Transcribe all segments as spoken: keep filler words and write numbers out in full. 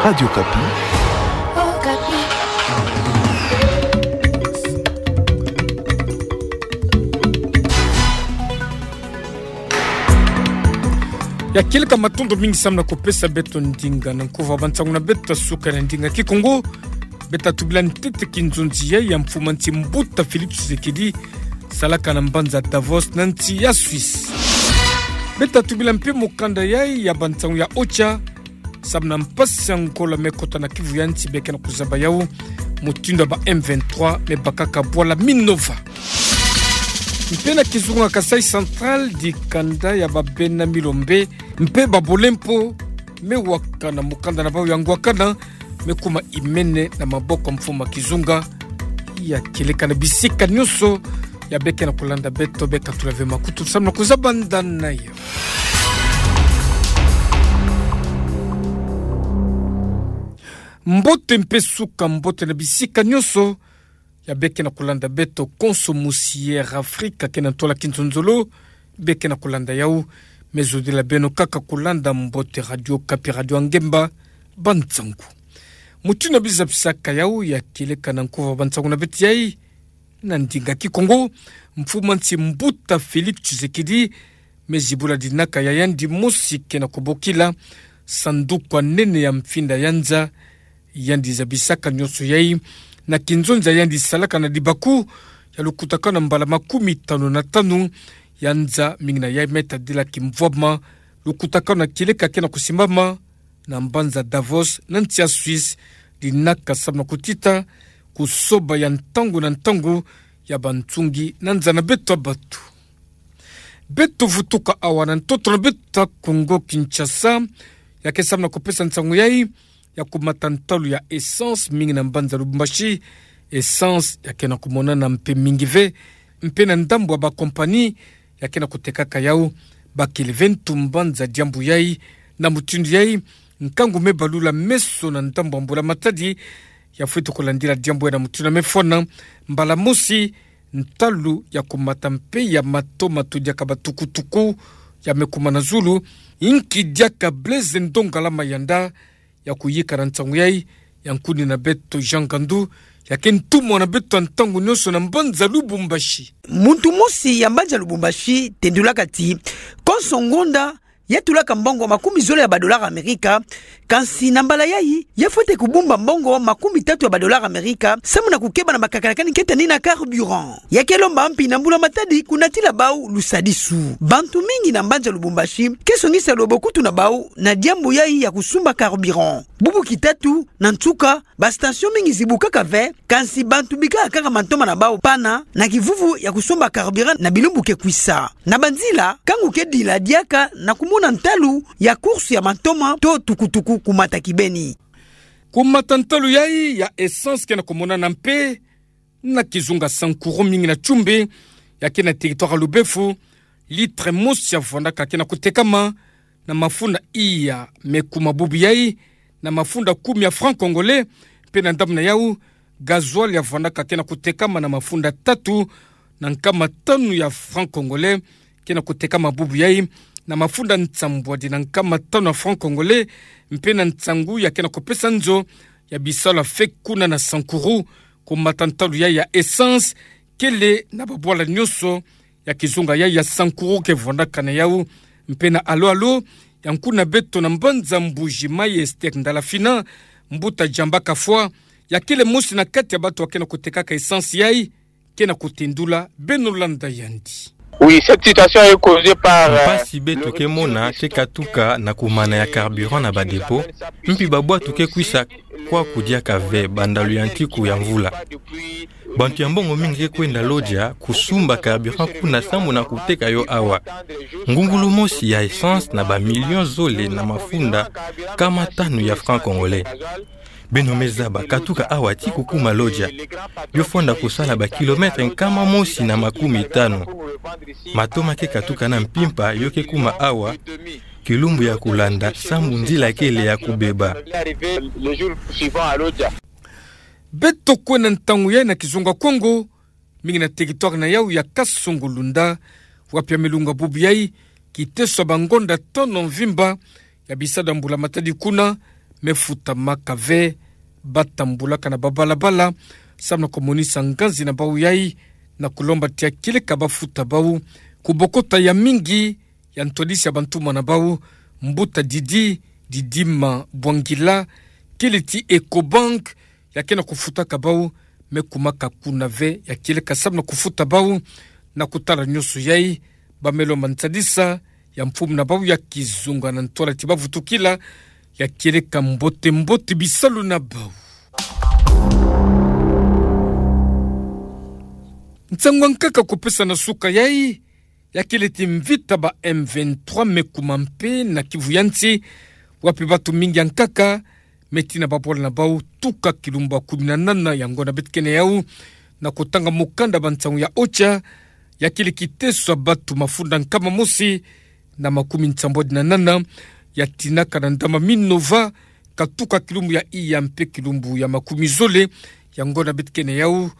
Radio Okapi. Ya kieleka, matondo mingi samu na kupesa beto ndinga na nkuva bansangu na beto ya suka na ndinga Kikongo. Beta tubila ntete kinzonzi ya mfumu nsi mbuta Félix Tshisekedi salaka na mbanza Davos na nsi ya Suisse. Beta tubila mpe mukanda ya, ya bansangu ya OCHA, samu na mpasi ya nkola me kota na kivu ya nsi, beke na kuzaba yau mutindu ya ba M vingt-trois me bakaka bwala Minova. Mpe na kizunga Kasaï Central, dikanda ya ba bena milombe mpe ba bolempo me waka na mukanda na bau ya ngwakana, me kuma imene na maboko mfumu kizunga. Ya kieleka na bisika nyonso ya beke na kulanda beto, beka tula ve makutu samu na kuzaba ndani na yo. Mbote mpe suka mbote na bisika nyonso ya beke na kulanda beto, konso mosi ya Afrika ke na ntola kinzonzolo beke na kulanda yau. Me zodila beno kaka kulanda mbote Radio Okapi, radio ya ngemba. Bansangu mutindu na biza bisaka yau, ya kieleka na nkuva bansangu na beto yai na ndinga Kikongo. Mfumu nsi mbuta Félix Tshisekedi me zibula dinaka ya yandi mosi ke na kubokila sanduku ya nene ya mfinda ya nza. Yandi zabisaka nyonso yai na kinzonzi ya yandi salaka na dibaku ya lukutakanu na mbala makumi tanu na tanu ya nza, mingi na yai me tadila kimvwama lukutakanu na kieleka ke na kusimbama na mbanza Davos na nsi ya Suisse, dinaka samu na kutita kusoba ya ntangu na ntangu ya bansungi na nza na beto ya batu. Beto vutuka awa na ntoto na beto ya Kongo Kinshasa, ya ke samu na kupesa nsangu yai ya kumata ntalu ya essence mingi na mbanza Lubumbashi. Essence ya ke na kumonana mpe mingi ve, mpe na ndambu ya ba compagnie ya ke na kutekaka yau, bakele ve ntu mbanza diambu yai. Na mutindu yai, nkangu me balula meso na ndambu ya mbula matadi ya fwete kulandila diambu yai na mutindu ya mefwana. Mbala mosi, ntalu ya kumata mpe ya matoma to diaka batukutuku ya me kuma na zulu, inki diaka Blaise Ndongala Mayanda ya kuyika na nsangu yai. Ya nkuni na beto Jean Gandu, ya ke ntumwa na beto ya ntangu nyonso na mbanza Lubumbashi. Muntu mosi ya mbanza Lubumbashi tendulaka ti konso ngonda ya tulaka mbongo makumi zole ya ba dollars Amerika, kansi na mbala yai ya fwete kubumba mbongo makumi tatu ya ba dollars Amerika samu na kukeba na makakala kani ketani na carburant. Ya ke lomba mpi na mbula matadi kunatila bau lusadisu. Bantu mingi na mbanza Lubumbashi ke songisa lwebokutu na bau na diambu yai ya kusumba carburant. Bubu kitatu na nsuka, ba station mingi zibukaka ve, kansi bantu bikaka kaka mantoma na bau pana na kivuvu ya kusomba carburant na bilumbu ke kwisa. Na banzila, nkangu ke dila diaka na kumona ntalu ya course ya mantoma to tukutuku kumata kibeni. Kumata ntalu yai ya essence ke na kumonana mpe na kizunga Sankuru, mingi na Tchumbe, ya ke na territoire ya Lubefu. Litre mosi ya vwandaka ke na kutekama na mafunda iya me kuma bubu yai na mafunda kumi ya francs congolais. Mpe na ndambu na yau, gasoil ya vwandaka ke na kutekama na mafunda tatu na nkama tanu ya francs congolais ke na kutekama bubu yai na mafunda nsambwadi na nkama tanu ya francs congolais. Mpe na nsangu ya ke na kupesa nzo ya bisalu ya feu kuna na Sankuru, kumata ntalu yai ya essence kele na babwala nyonso ya kizunga yai ya Sankuru ke vwandaka na yau. Mpe na alo-alo, ya nkuni na beto na mbanza Mbuji-Mayi Esther Ndalafina, mbuta Jamba Kafwa, ya kele mosi na kati ya bato ya ke na kutekaka essence yai, ke na kutendula. Beno landa yandi. Oui, cette situation est causée par, euh, mpasi beto ke mona ke katuka na kumana ya carburant na ba dépôt, mpi babwatu ke kwisa kwaku diaka ve banda luyantiku ya mvula. Bantu ya mbongo mingi ke kwenda Lodja kusumba carburant kuna sambu na kuteka yo awa. Ngungulu mosi ya essence na ba millions zole na mafunda nkama tanu ya francs congolais. Beno me zaba, katuka awa ti kukuma Lodja, yo fwanda kusala ba kilomètres nkama mosi na makumi tanu. Matoma ke katuka na mpimpa yo ke kuma awa, kilumbu ya kulanda sambu nzila kele ya kubeba. Beto kwenda ntangu yai na kizunga Kongo, mingi na territoire na yau ya Kasongo-Lunda, wapi ya me lunga bubu yai, kiteso ya bangonda tano mvimba ya bisada mbula matadi kuna, me futamaka ve, batambulaka na babalabala, samu na kumonisa nganzi na bau yai, na kulomba tia kieleka bafuta bau, kubokota ya mingi, ya ntwadisi ya bantumwa na bau, mbuta Didi, Didima Bwangila, kieleti Ecobank, ya kena kufutaka bau, me kumaka kuna ve, ya kieleka samu na kufuta bau, na kutala nyonso yai, bamelo mantadisa, ya mfumu na bau ya kizunga na ntwala ti bavutukila, ya kieleka mbote mbote bisalu na bau. Nsangu ya nkaka kupesa na suka yai, ya kieleti mvita ba M vingt-trois me kuma mpe na Kivu ya nsi, wapi batu mingi ya nkaka, me tina babwala na bau tuka kilumbu ya kumi na nana ya ngonda beto kena yau, na kutanga mukanda ba nsangu ya OCHA, ya kieleka kiteso ya batu mafunda nkama mosi, na makumi nsambwadi na nana, ya tinaka na ndama Minova, katuka kilumbu ya iya mpe kilumbu ya makumi zole, ya ngonda beto kena yau,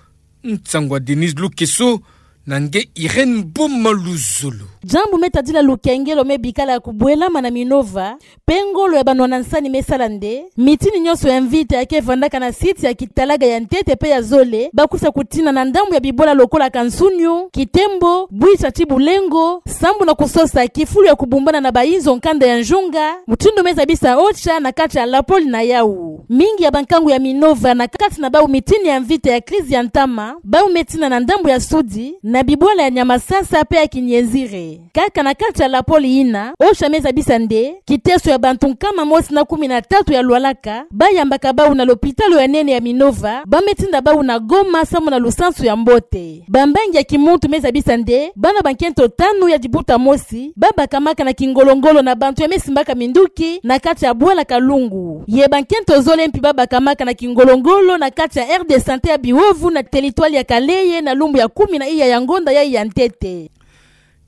nsangu ya Denise Lukeso, na nge Irène Boma Luzolo. Diambu me tadila lukengelo me bikala ya kubwelama na Minova, pe ngolo ya banwana nsani me sala nde, mitini nyonso ya mvita ya kevandaka na site ya kitalaga ya ntete pe ya zole, bakwiza kutina na ndambu ya bibwala lokola Kansunyu, Kitembo, Bwisa ti Bulengo, sambu na kusosa kifulu ya kubumbana na bayinzo nkanda ya nzunga, mutindu me zabisa OCHA na kati ya lapoli na yau. Mingi ya bankangu ya Minova na kati na bau mitini ya mvita ya crise ya ntama, bau me tina na ndambu ya sudi, na bibwala ya Nyamasasa pe ya Kinienzire. Kaka na kati ya lapoli yina, OCHA me zabisa nde, kiteso ya bantu nkama mosi na kumi na tatu ya lwalaka, bayambaka bau na lopitalo ya nene ya Minova, ba me tinda bau na Goma samu na lusansu ya mbote. Bambangi ya kimuntu me zabisa nde, bana bankento tanu ya dibuta mosi, babakamaka na kingolongolo na bantu ya me simbaka minduki, na kati ya bwala Kalungu. Ye bankento zole mpi babakamaka na kingolongolo na kati ya aire de santé ya Bihovu na territoire ya Kalehe na lumbu ya kumi na iya ya ngonda yai ya ntete.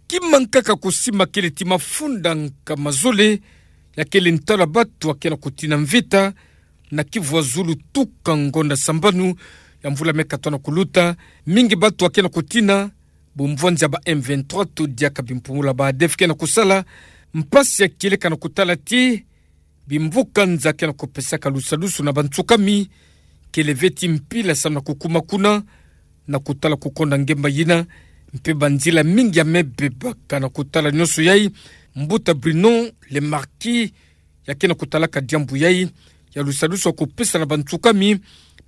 Kima nkaka kusimba kieleti mafunda nkama zole, ya kele ntwala batu ya kena kutina mvita, na Kivu ya zulu tuka ngonda sambanu, ya mvula me katona kuluta, mingi batu ya kena kutina, bumvwanza ba M vingt-trois to diaka bimpumula ba ADF kena kusala, mpasi ya kieleka na kutala ti, bimvuka nza kena kupesaka lusadusu na bantsukami, kele ve ti mpila samu na kukuma kuna, na kutala kukonda ngemba yina, mpe banzila mingi ya me bebaka na kutala nyonso yai, mbuta Bruno Le Marquis, ya kena kutalaka diambu yai, ya lusadusu ya kupesa na bantsukami,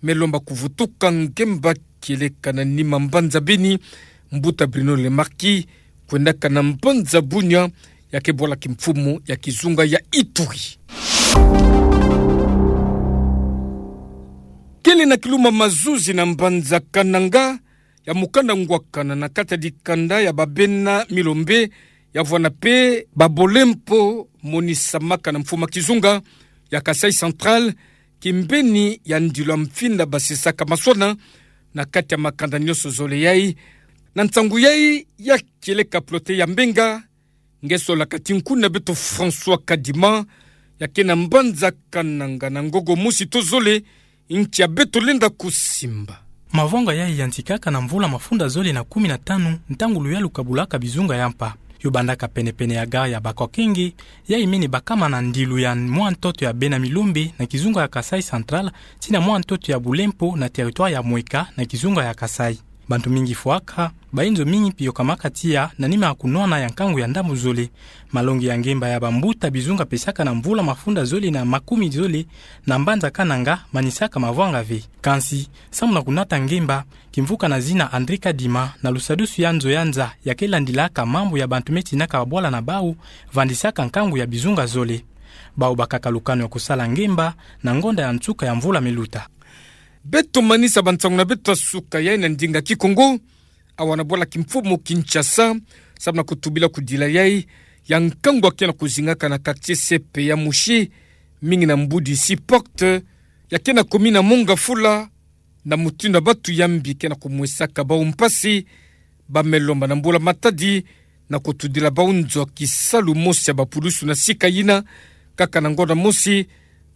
me lomba kuvutuka ngemba kieleka na nima mbanza Beni, mbuta Bruno Le Marquis, kwendaka na mbanza Bunia, ya ke bwala kimfumu ya kizunga ya Ituri. Kele na kiluma mazuzi na mbanza Kananga, ya mukanda ngwakana na kati ya dikanda ya babena Milombe, ya vwanda pe ba Bolempo, monisamaka na mfumu ya kizunga ya Kasaï Central, kimbeni ya ndilu ya mfinda basisaka maswana, na kati ya makanda nyonso zole yai. Na nsangu yai ya kieleka Plote ya Mbenga, nge solaka ti nkuna beto François Kadima, ya ke na mbanza Kananga na ngogo mosi to zole, ntia beto lenda kusimba. Mavwanga yai yantikaka na mvula mafunda zole na kumi na tanu, ntangu luyalu kabulaka bizunga ya mpa. Yo bandaka penepene ya gare ya Bakokenge, yai mene bakama na ndilu ya mwa ntoto ya bena Milombe na kizunga ya Kasaï Central, tii na mwa ntoto ya Bolempo na territoire ya Mweka na kizunga ya Kasaï. Bantu mingi fwaka, bayinzo mingi mpi yokamaka tiya na nima ya kunwana ya nkangu ya ndambu zole. Malongi ya ngemba ya bambuta bizunga pesaka na mvula mafunda zole na makumi zole na mbanza Kananga manisaka mavwanga ve. Kansi, samu na kunata ngemba, kimvuka na zina André Kadima na lusadusu ya nzo ya nza ya ke landilaka mambu ya bantu me tinaka babwala na bau, vandisaka nkangu ya bizunga zole. Bau bakaka lukanu ya kusala ngemba na ngonda ya nsuka ya mvula me luta. Beto manisa bansangu na beto ya suka yai na ndinga Kikongo, awa na bwala kimfumu Kinshasa, samu na kutubila kudila yai ya nkangu ya ke na kuzingaka na quartier C P ya Mouchy, mingi na mbudi Seaport, ya ke na commune ya Mont-Ngafula, na mutindu ya batu ya mbi ke na kumwesaka bau mpasi, ba me lomba na mbula-matadi, na kutudila bau nzo ya kisalu mosi ya bapulusu na sika yina, kaka na ngonda mosi,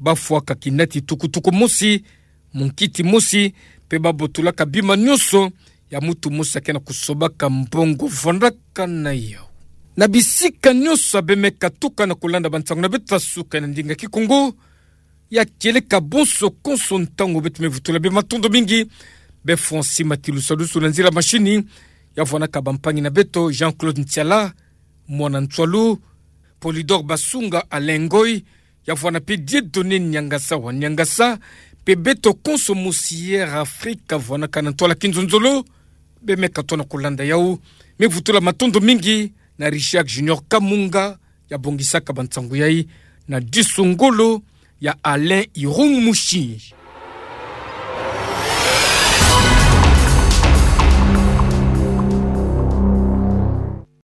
ba fwaka kinati tukutuku mosi, munkiti mosi, mpe ba botolaka bima nyonso ya mutu mosi ya ke na kusobaka mbongo vandaka na yau. Na bisika nyonso ya be me katuka na kulanda bansangu na beto ya suka na ndinga Kikongo, Ya kieleka bonso konso ntangu beto me vutula bie, matondo mingi. Bie Francis Matilusalusu na nzila machine, ya vuanaka bampangi na beto Jean-Claude Ntiala, mwana Ntswalu, Polydor Basunga, Alain Ngoy, ya vuana pe Dieudonné Niangasa wa Niangasa, pe beto konso mosi Air Afrique, vuanaka na ntwala kinzonzolo. Bie me katona kulanda yau, me vutula matondo mingi na Richard Junior Kamunga, ya bongisaka bansangu yai na disu ngolo ya Alain Irung Mushi.